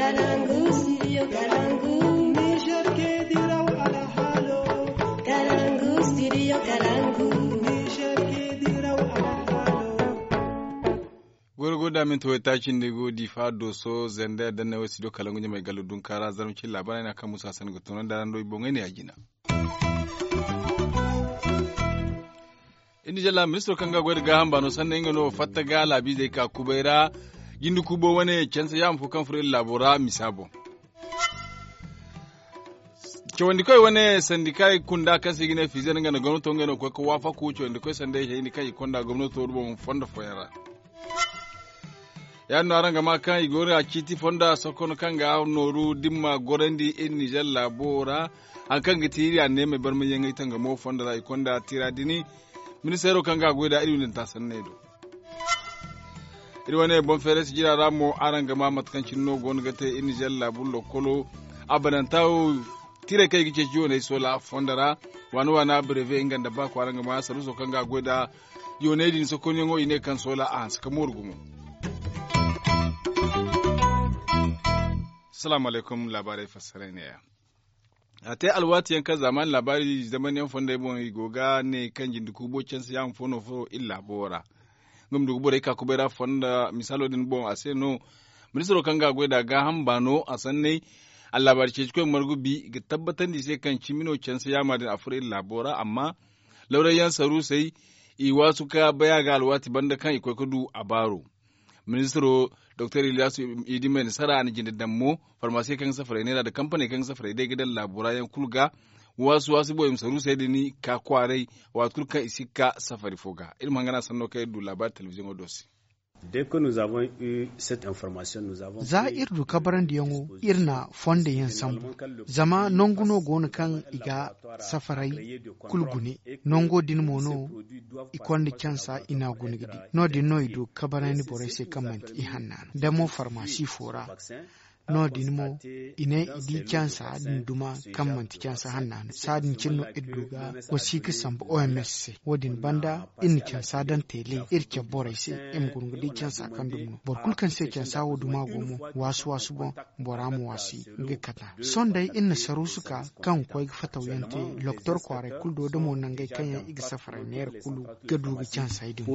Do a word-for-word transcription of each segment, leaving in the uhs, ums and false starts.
Kalangu studio kalangu. Niger ke diraw alhalo. Kalangu studio kalangu. Niger ke diraw alhalo. Goro goro da minti wai taci nda go difa doso zanda yadda na wai studio kalangu ɲamai galo dunkara zarmacin labarai na kan musa sani ga tono da rando i boŋai ne a jina. Iri na jalla ministiro kaŋ ga goy da gaaham baano sanday nga no fatta ga laabiizey ka kubay ra. Jinde kuubo wane canse yaama fo kaŋ furo iri laabo ra misa boŋ. Cawandikoy wane sandika kunda kaŋ se i ga ne fizer nga nda gomnato nga no ga koy ga waafaku cawandikoy sanday hayni kaŋ i konda gomnato boŋ fondo fooyaŋ ra. Ya- din no araŋ ga ma kaŋ i go no a ciiti fonda sokono kaŋ ga nooru dimma gorandi iri nizer laabo ra. Hari kaŋ ga ti iri anneemey barmayyaŋey tangamo fondo ra i konda tira dini. Ministeero kaŋ ga a goy nd'a iri windanta sanney do. Iri wane boŋ feeray sijira ra mo araŋ ga ma mate kaŋ cine no go no ga te iri nizer laabu lokkolo. Abananta wo tiirey kaŋ i ga ceeci yooney soola fondo ra. Waana waana breve nga nda ba kwaara nga ma saruuso kaŋ ga a goy nd'a yooney din sokonyaŋo i ne kaŋ soola a hanse ka mooru gumo. Salaamu alaykum laabaarey fassaray neeya. A te alwaati yaŋ kaŋ zaamaani laabaari zamanyaŋ fondey boŋ i go ga ne kaŋ jinde kuubo canse yaama fo no furo iri laabo ra. Nga ma du ga borey ka kubay ra fonda misaalo din boŋ a se no. Ministiro kaŋ ga a goy nd'a gaaham baano a sanney. Allaabaari ceecikoy margu bi ga tabbatandi i se kaŋ cimi no canse yaama din a furo iri laabo ra amma lawrayyaŋ saruusey i waasu ka bay a ga alwaati banda kaŋ i koy ga du a baaro. Ministiro doktor ilyasu idi mai nasara a na jinde daŋ mo farmasiye kaŋ ga safaray neera nda kampaney kaŋ ga safaray day ga daŋ laabo ra yaŋ kulu ga. Waasu waasu boŋ i ma saruusey din ka kwaaray waati kulu kaŋ i si ga ka safari fo ga iri ma hangana sanno kaŋ iri du laabaari telebiziyoŋo do se. Za iri du kabarandiyaŋo iri na fondo yaŋ sambu. Zama nangu no go no kaŋ i ga safaray kulu gune. Nango din mo no i konda cansa i n'a gune ga di no- din no i du ga kabarandi borey se kaŋ manti ihanna no da mo farmasi fo ra. No- din mo i ne i di cansa din duma kaŋ manti cansa hanna no saadin cine no iri du ga wasiika sambu oms se. Wo- din banda iri na cansa daŋ teele iri cabe borey se i ma guna ga di cansa kaŋ dumi no boro kulu kaŋ se cansa wo duma go mo waasu waasu boŋ bora ma waasi nga kata. Sohõ day iri na saruusu ka kaŋ ga koy ga fatawyaŋ te. Loktor kwaaray kulu do da mo nangey kaŋ yaŋ i ga safaray neera kulu ga du ga cansey din.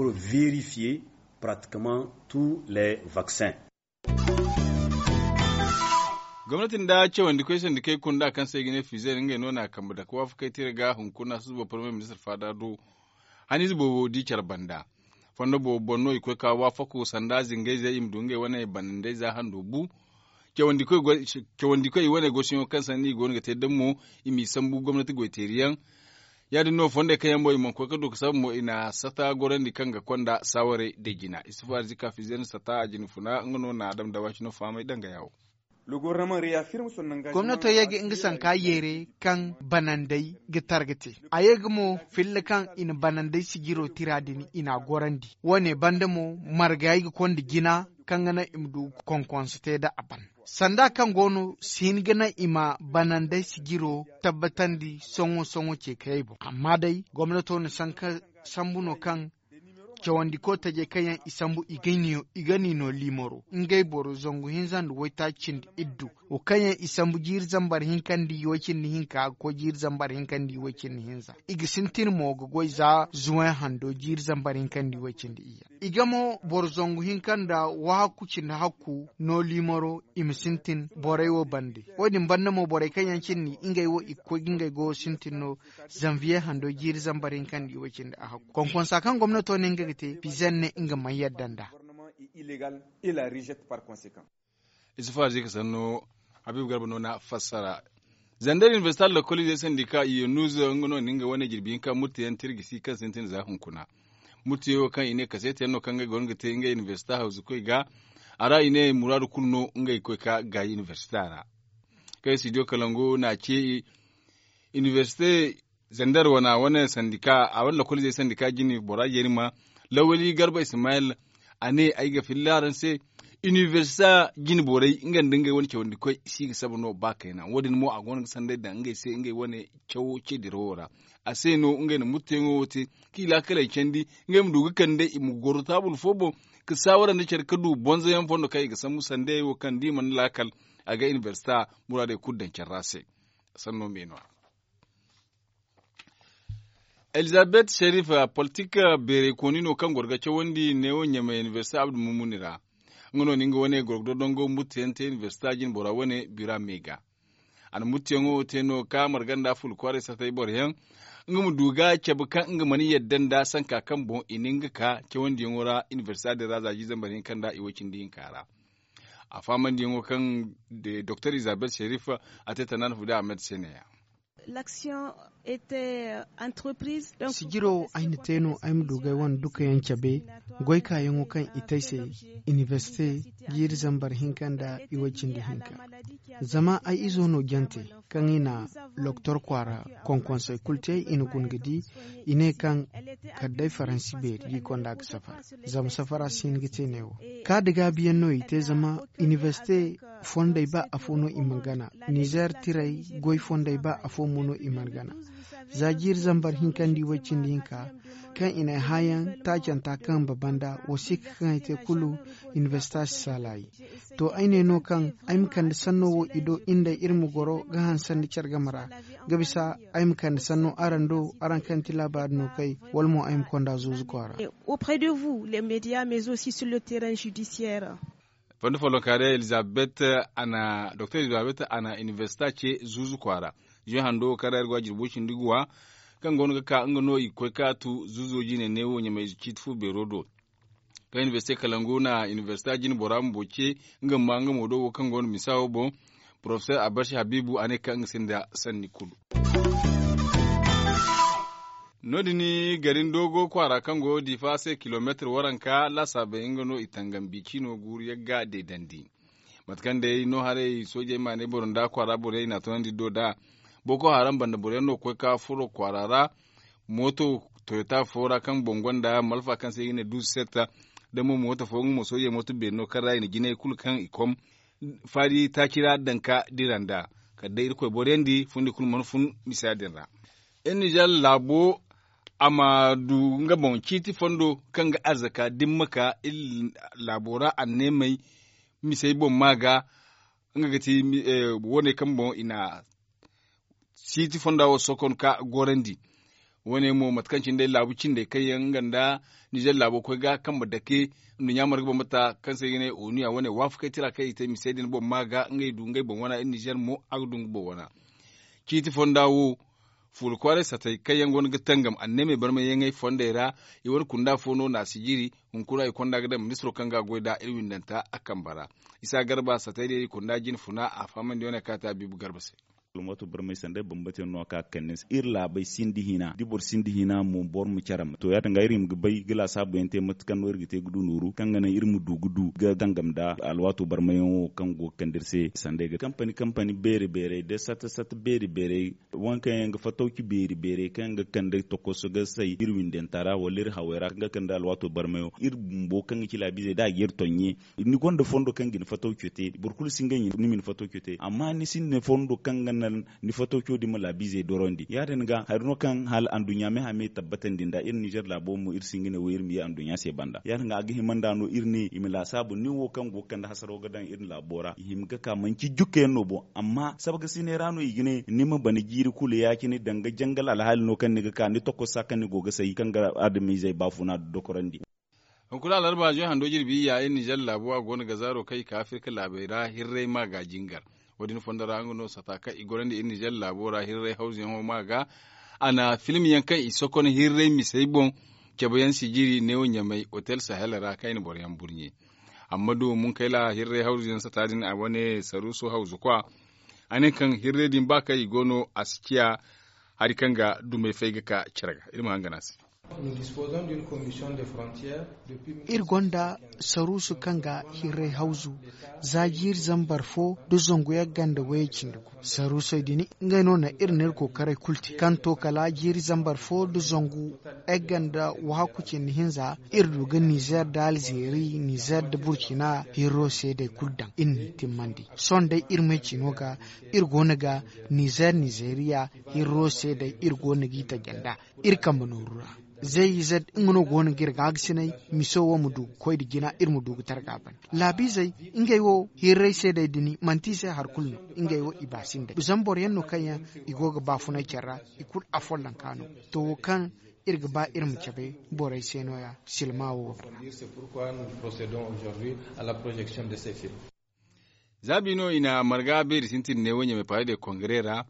Gomnati nda cawandikoy sandikey kunda kaŋ se i ga ne fizer ngey no na kambe dake waafakey tira ga hunkuna susubo parmiye ministir faada do. Haniize boobo di care banda fondo boobo boŋ no i koy ka waafaku sanda zingayzey i ma du ngey wane banandey za hando bu. Cawandikoy i wane goosiyaŋo kaŋ sanni i go no ga te daŋ mo i m'i sambu gomnati goyteeriyaŋ. Ya- din no fondey kaŋ yaŋ mo i mana koy ga du ga saba mo i na sata gorandi kaŋ ga konda saawarey day jina isufu arzika fizer sata a jina funa nga no na a daŋ da waacino fahamay dangaya wo. Gomnato ye ga nga sanka yeere kaŋ banandey ga targa te. A ye ga mo filla kaŋ i na banandey sijiro tira din i n'a gorandi wo- ne banda mo margayey ga konda jina kaŋ ga naŋ i ma du konkonso te da a ban. Sanda kaŋ go no si hin ga naŋ i ma banandey sijiro tabbatandi sohõ sohõ ceekayey boŋ amma day gomnato na sanka sambu no kaŋ cawandiko tajey kaŋ yaŋ i sambu i ga ni no liimaro ngey boro zangu hinza nda waytaaci cindi iddu wo kaŋ yaŋ i sambu jiiri zambar hinka nda i way cindi hinka ga koy jiiri zambar hinka nda i way cindi hinza. I ga sintin mo ga goy za zuway hando jiiri zambar hinka nda i way cindi iyye. I ga mo boro zangu hinka nda wahakku cindi hakku no liimaro i ma sintin borey wo bande. Wo- din banda mo borey kaŋ yaŋ cindi ngey wo i ga koy ga ngey goyo sintin no zanviye hando jiiri zambar hinka nda i way cindi a hakku konkonsa kaŋ gomnato ne nga ga te pizen ne nga mana yadda nd'a. Isufu arzika sanno habiibu garba no na fassara. Zandar inibersita lokolize sandika iyo nuuzo nga no na nga wane jirbi hinka murti yaŋ tirgisi kaŋ sintin za hunkuna. Murti yaŋ wo kaŋ i ne kaseeti yaŋ no kaŋ ngey go no ga te ngey inibersita hawzu koy ga. A ra i ne muraadu kulu no ngey koy ka gaayi inibersita ra. Kaŋ studio kalangu na ce inibersite zandar wana wane sandika a wane lokolize sandika jine bora jeeri ma lawali garba ismayil. A ne ay ga filla araŋ se. Inibersita jine borey nga nda ngey wane cawandi koy si ga saba no ba kayna wo- din mo a go no ga sanday daŋ ngey se ngey wane cawo ce dirawo ra. A se no ngey na murteyaŋo wo te, kaŋ i laakaley candi ngey ma du ga kande i ma goro taabul fo boŋ, ka saawara nda care ka du bonzoyaŋ fondo kaŋ i ga sambu sandayey wo kaŋ da i mana laakal, a ga inibersita muraadey kulu daŋ care ra se. Sanno me no- ya. Elizabeth sherif, politik beerey kooni no kaŋ goro ga cawandi neewo ɲamay inibersite abdu mumuni ra. Nga no na nga wane goro ga dondongo murteyaŋ te inibersite jine bora wane bira me ga. A na murteyaŋo te no ka marga nda fulu kwaaray sartay boroyaŋ, nga ma du ga cabe kaŋ nga mana yadda nda sanka kaŋ boŋ i na nga ka cawandiyaŋo ra inibersite din ra za jiizambar hinka nda i way cindi hinka ra. A faamandiyaŋo kaŋ doktor elizabeth sherif a te tanaana fu da ahmed se ne- ya. Sijiro ay na te no ay ma du ga ay wane dukayaŋ cabe goykaayaŋo kaŋ i te ay se inibersite jiiri zambar hinka nda i way cindi hinka. Zama ay izo no jante kaŋ i na loktor kwaara konkonsey kulu te i na guna ga di i ne kaŋ kala day faransi beeri da i konda ga safara. Zama safara si hin ga te neewo kaada gaabiyaŋ no i te zama inibersite fondey ba afo no i mana gana nizer tirey goy fondey ba afo mo no i mana gana. Za jiiri zambar hinka nda i way cindi hinka kaŋ i na ay hããyaŋ taacanta kaŋ baba nda wasiika kaŋ ay te kulu inibersita si saalaayi. To ay ne no kaŋ ay ma kande sanno wo i do iri nd'ey iri ma goro ga hansandi care game ra ga bisa ay ma kande sanno araŋ do araŋ kaŋ ti laabaari no kay wala mo ay ma konda zuuzu kwaara. Auprès de vous les médias mais aussi sur le terrain judiciaire. Fondo follonkaarey elizabeth a na doktor elizabeth a na inibersita ce zuuzu kwaara. Zuwe hando wo kaŋ ra iri go a jirbo cindi guwa kaŋ go no ga ka nga no i ga koy kaatu zuuzo jine neewo ɲamay ciiti fu beero do. Kaŋ inibersite kalangu na inibersita jine bora bumbo ce nga ma nga mo do wo kaŋ go no misa wo boŋ. Porofesor abarsi habiibu a ne kaŋ nga sinda sanni kulu. No- din garin doogo kwaara kaŋ go diifa se kilomeetir waranka laasaabey nga no i tangam biicino guuru yagga deedandi. Mate kaŋ day no haray soojey ma ne boro nda kwaara borey i n'a toonandi do da boko haram banda boro yaŋ no ga koy ka furo kwaara ra. Mooto toyota fo ra kaŋ boŋ gonda malfa kaŋ se i ga ne duusu setta da mo mooto fo nga mo soojey mooto beeri no kaŋ ra i na jinay kulu kaŋ i kom faari taaci ra daŋ ka dira nd'a. Kala day irkoy boro yaŋ di fundi kulu mana fun misa din ra. Iri nizer laabo a ma du nga boŋ ciiti fondo kaŋ ga arzaka dimma ka iri laabo ra anneemey misey boŋ ma ga. Nga ga ti wane kaŋ boŋ i na ciiti fonda wo sokon ka gorandi. Wane mo mate kaŋ cine day laabu cindey kaŋ yaŋ nga nda nizer laabo koy ga kambe dake nduɲɲa marga bambata kaŋ se i ga ne onu ya wane waafakey tira kaŋ i te misey din boŋ ma ga ngey du ngey boŋ wana iri nizer mo a ga du nga boŋ wana. Ciiti fonda wo fuula kwaaray satey kaŋ yaŋ go no ga tangam anneemey barmayyaŋey fondey ra. I wane kunda fo no na a si jiri hunkuna i konda ga daŋ ministiro kaŋ ga a goy nd'a iri windanta a kambe ra. Isa garba satey day i kunda jine funa a fahamandi wane kaŋ a te a biibu garba se. Almatu barmay sanda ay bambata yaŋ no a ka ga kande ni se iri laabey sinda hina da boro sinda hina mo boro ma care ma to ya- din ga iri ma ga bay ga laasaabu yaŋ te mate kaŋ no iri ga te ga du nooru kaŋ ga naŋ iri ma du ga du ga dangam nda alwaato barmay yaŋo kaŋ go ga kande iri se sanda ay ga kampani kampani beeri beerey da sata sata beeri beerey. Waŋ kaŋ yaŋ ga fatawci beeri beerey kaŋ yaŋ ga kande tokoso ga say iri windanta ra wala iri hawey ra kaŋ ga kande alwaato barmay yaŋo iri bumbo kaŋ ga ci laabiizey da a ga iri toŋ ye. Ni gonda fondo kaŋ ga ni fataw cote boro kulu si nga ɲin ni ma ni fataw cote amma ni sinda fondo kaŋ ga naŋ ni fataw co din ma laabiizey dorandi ya- din ga hari no kaŋ hala anduɲɲa me hame tabbatandi nd'a iri nizer laabo mo iri si nga ne wo iri ma ye anduɲɲa se banda ya- din ga a ga hima nd'a no iri ne i ma laasaabu nin wo kaŋ go ga kande hasaro ga daŋ iri laabo ra i hima ga ka manci jukka yaŋ no boŋ amma sabga sine ra no i ga ne ni ma bana jiiri kulu ya- cine danga jangal alhaali no kaŋ ni ga ka ni tokossa kaŋ ni go ga say kaŋ ga adamiizey baafuna dokorandi. Hunkuna alarba zoy hando jirbi iyya iri nizer laabo a go no ga zaaro kaŋ i ka afirka laabey ra hirray ma ga jingar. Wo- din fondo ra nga no sata kaŋ i gorandi iri nizer laabo ra hirray hawzuyaŋo ma ga. A na film yaŋ kaŋ i sokon hirray misey boŋ cabe yaŋ sijiri neewo ɲamay hotel sahel ra kaŋ i na boro yaŋ burɲe. Amma do munkayla hirray hawzuyaŋ sata din a wane saruuso hawzu kwa. A ne kaŋ hirray din ba kaŋ i go no a si ciya hari kaŋ ga dumey fay ga ka care ga iri ma hangan a se. Iri gonda saruusu kaŋ ga hirray hawzu za jiiri zambar fo nda zangu yaŋ ganda wayey cindi gu. Saruusey din ngey no na iri n'iri kookaray kulu te kaŋ to kala jiiri zambar fo nda zangu yaŋ ganda wahakku cindi hinza. Iri du ga nizer nda alzeeri nizer nda burcina hirro seedey kulu daŋ iri n'i timmandi. Sohõ day iri may ciino ga iri go no ga nizer nizeriya hirro seedey iri go no g'i taje nd'a. Iri kambe nooru ra zey ize nga no go no ga iri gaagasinay. Miso wo ma du ga koy nda jina iri ma du ga targa ban laabiizey. Ngey wo hirray seedey din manti i se hari kulu no. Ngey wo i ba sinday zama boro yaŋ no kaŋ yaŋ i go ga baafunay care ra. I kulu afollonka no. To wo kaŋ iri ga ba iri ma cabe borey se no- ya silma wo. Za bi no i na marga beeri sintin ne wo ɲamay paare de kongare ra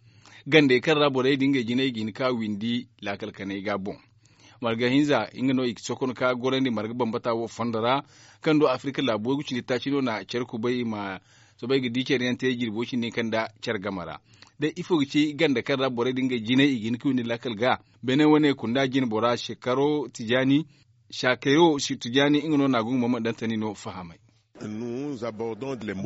gandey kaŋ ra borey din ngey jinay ga hin ka windi laakal kanay ga boŋ. Marga hinza nga no i ga sokon ka gorandi marga bambata wo fondo ra kaŋ do afirika laabo way ga cindi taaci no na care kubay i ma soobay ga di care yaŋ te jirbo cindi kaŋ nda care game ra. Day ifo ga ci ganda kaŋ ra borey din ngey jinay i ga hin ka windi laakal ga beene wane kunda jine bora shekaro tijaani shakero tijaani nga no na gungu mama dantani no fahamay.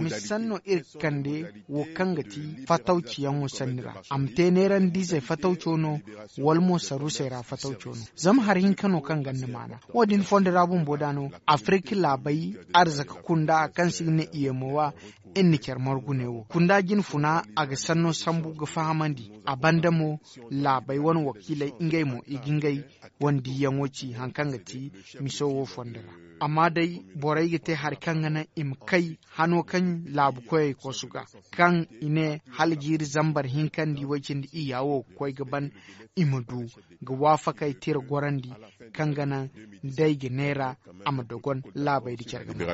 Misa sanno iri ga kande wo kaŋ ga ti fatawciyaŋo sanni ra a ma te neerandiizey fatawco no wala mo sarusey ra fatawco no. Zama hari hinka no kaŋ ganda maana wo- din fondo ra bumbo da no afirka laabey arzaka kunda kaŋ se i ga ne i ye moowa. Iri na care margu ne wo kunda jine funa a ga sanno sambu ga fahamandi. A banda mo laabey wane wakiiley ngey mo i ga ngey wane diiyaŋo ci hari kaŋ ga ti miso wo fondo ra. Amma day borey ga te hari kaŋ ga naŋ i ma kay hano kaŋ laabu koyey kosu ga kaŋ i ne hala jiiri zambar hinka nda i way cindi iyya wo ga koy ga ban i ma du ga waafakey tira gorandi kaŋ ga naŋ day ga neera a ma dogon laabey nda care ga naŋ.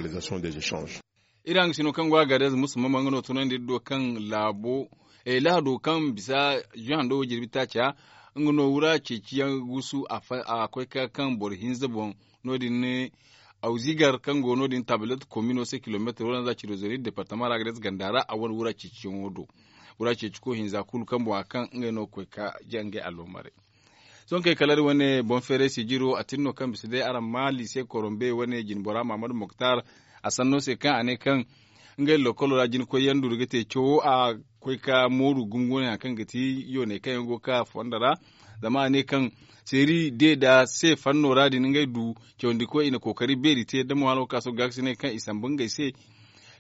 Iri hangasino kaŋ go a gaadez musamman nga no tunandi iri do kaŋ laabo lahado kaŋ bisa juhando wo jirbi taaca nga no wura ceeciyaŋ gusu a koy ka kaŋ boro hinza boŋ. No- din ne awzigar kaŋ go no- din tabilet komino se kilomeetar wala za cirozeeri departama ra gaadez ganda ra a wane wura ceeciyaŋo do. Wura ceeci ko hinza kulu kaŋ boŋ a kaŋ ngey no ga koy ka jangay allomaray. Sohõ kay kala iri wane boŋ feeray sijiro a tin no kaŋ bisa day araŋ ma liise korombe wane jinbora mahamadu moktar. A sanno se kaŋ a ne kaŋ ngey lokolo ra jina koyyaŋ duru ga te cawo a koy ka mooru gumo wane hari kaŋ ga ti yooney kaŋ yaŋ go ga ka fondo ra. Zama a ne kaŋ seeri de nda se fanno ra din ngey du cawandi koy i na kookari beeri te da mo hala wo ka sohõ gaakasinay kaŋ i sambu ngey se.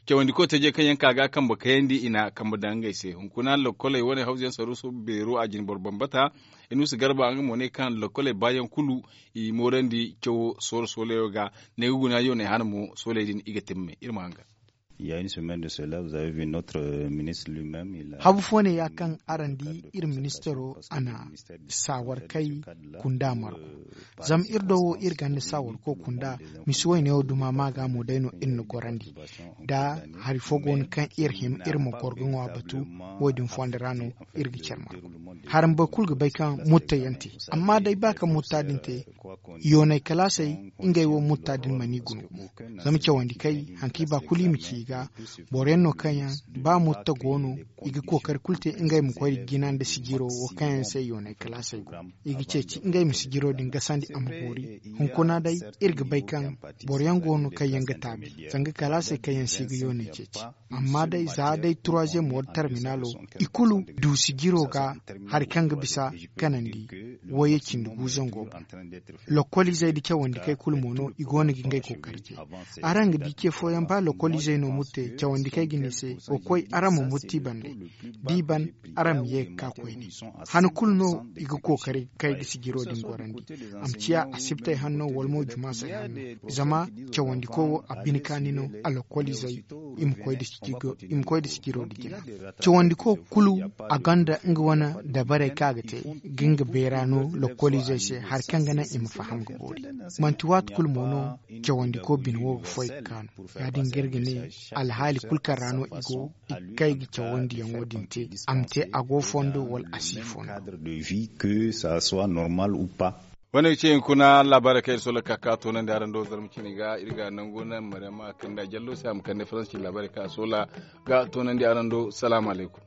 Cawandi koy tajey kaŋ yaŋ ka ga kambe kayandi i na kambe daŋ ngey se hunkuna lokkoley wane hawzu yaŋ saruuso beero a jine boro bambata. Inuusa garba nga mo ne kaŋ lokkoley baayaŋ kulu i moorandi cawo sooro soolayo ga. Ne ga guna yooney hana mo sooley din i ga timme iri ma hangan. Habu fo ne ya kaŋ araŋ di iri ministaro a na saawar kay kunda margu. Zama iri do wo iri ganda saawar ko kunda misi wayne wo duma ma ga mo day no iri na gorandi. Da hari fo go no kaŋ iri hima iri ma gorgo ŋwa batu wo- din fondo ra no iri ga care margu. Harambe kulu ga bay kaŋ mutta yaŋ te. Amma day ba kaŋ mutta din te yoonay kalaasey ngey wo mutta din mana i guna gumo. Zama cawandi kay hari kaŋ i ba kulu i ma ci i ga boro yaŋ no kaŋ yaŋ ba mutta go no i ga kookari kulu te ngey ma koy jina nda sijiro wo kaŋ yaŋ se yoonay kalaasey go. I ga ceeci ngey ma sijiro din gasandi a ma boori. Hunkuna day iri ga bay kaŋ boro yaŋ go no kaŋ yaŋ ga taabi zanga kalaasey kaŋ yaŋ se i ga yoonay ceeci. Amma day za day troisième wala terminalo i kulu du sijiro ga hari kaŋ ga bisa kanandi wayey cindi gu zango boŋ. Lokoliizey nda cawandikey kulu mo no i go no ga ngey kookari te. Araŋ ga di ce fooyaŋ ba lokoliizey no mutte cawandikey ga ne i se wa koy araŋ ma mutti bande. Di ban araŋ ma ye ga ka koyne. Han kulu no i ga kookari ga kay ga sijiro din gorandi. A ma ciya asibtey hanno wala mo jumaasey hanno. Zama cawandiko wo a bine kaani no a lokoliizey i ma koy nda sijiro nda jina. Cawandiko kulu a gonda nga wane dabarey kaŋ a ga te ga nga beera no lokoliizey se hari kaŋ ga naŋ i ma faham ga boori. Manti waati kulu mo no cawandiko bine wo ga foy ga kaanu. Ya- din ga iri ga ne alhaali kulu kaŋ ra no i go i ga kay ga cawandiyaŋo din te. A ma te a go fondo wala a si fondo. Wane ga ce hunkuna laabaarey kaŋ iri soola ka ka toonandi araŋ do zarma cine ga iri ga nangu naŋ mariyama kanda jallo se a ma kande faransi cine laabaarey kaŋ a soola ga toonandi araŋ do salaamu alaykum.